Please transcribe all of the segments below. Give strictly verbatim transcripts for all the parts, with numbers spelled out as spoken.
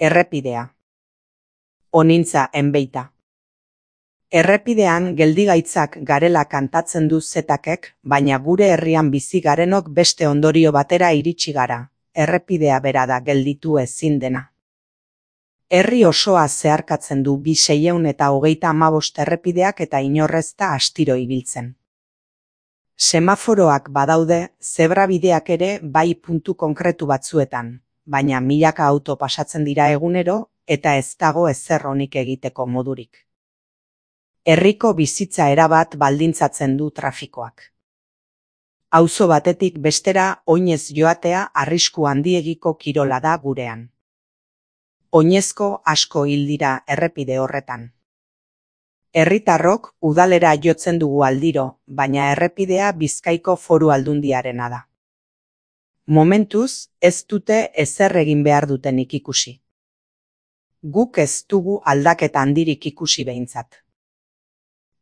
Errepidea. Onintza enbeita. Errepidean geldigaitzak garela kantatzen du Zetakek, baina gure herrian bizi garenok beste ondorio batera iritsi gara. Errepidea bera da gelditu ezin dena. Herri osoa zeharkatzen du bi seiehun eta hogeita hamabost errepideak eta inorrez da astiro ibiltzen. Semaforoak badaude, zebrabideak ere bai puntu konkretu batzuetan, baina milaka auto pasatzen dira egunero eta ez dago ezer onik egiteko modurik. Herriko bizitza erabat baldintzatzen du trafikoak. Auzo batetik bestera oinez joatea arrisku handiegiko kirola da gurean. Oinezko asko hil dira errepide horretan. Herritarrok udalera jotzen dugu aldiro, baina errepidea Bizkaiko Foru Aldundiarena da. Momentuz, ez dute ezer egin behar dutenik ikusi. Guk ez dugu aldaketa handirik ikusi behintzat.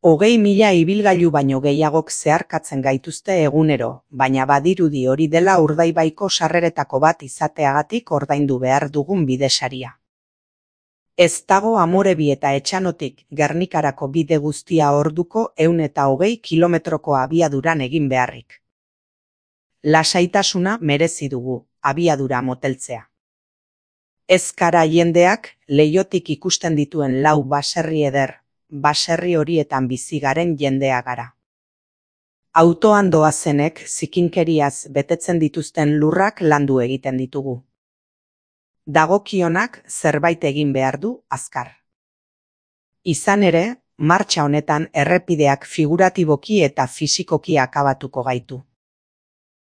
Hogei mila ibilgailu baino gehiagok zeharkatzen gaituzte egunero, baina badirudi hori dela Urdaibaiko sarreretako bat izateagatik ordaindu behar dugun bidesaria. Ez dago Amorebi eta Etxanotik Gernikarako bide guztia orduko ehun eta hogei kilometroko abiaduran egin beharrik. Lasaitasuna merezi dugu, abiadura moteltzea. Ez gara jendeak leihotik ikusten dituen lau baserri eder, baserri horietan bizi garen jendea gara. Autoan doazenek zikinkeriaz betetzen dituzten lurrak landu egiten ditugu. Dagokionak zerbait egin behar du azkar. Izan ere, martxa honetan errepideak figuratiboki eta fisikoki akabatuko gaitu.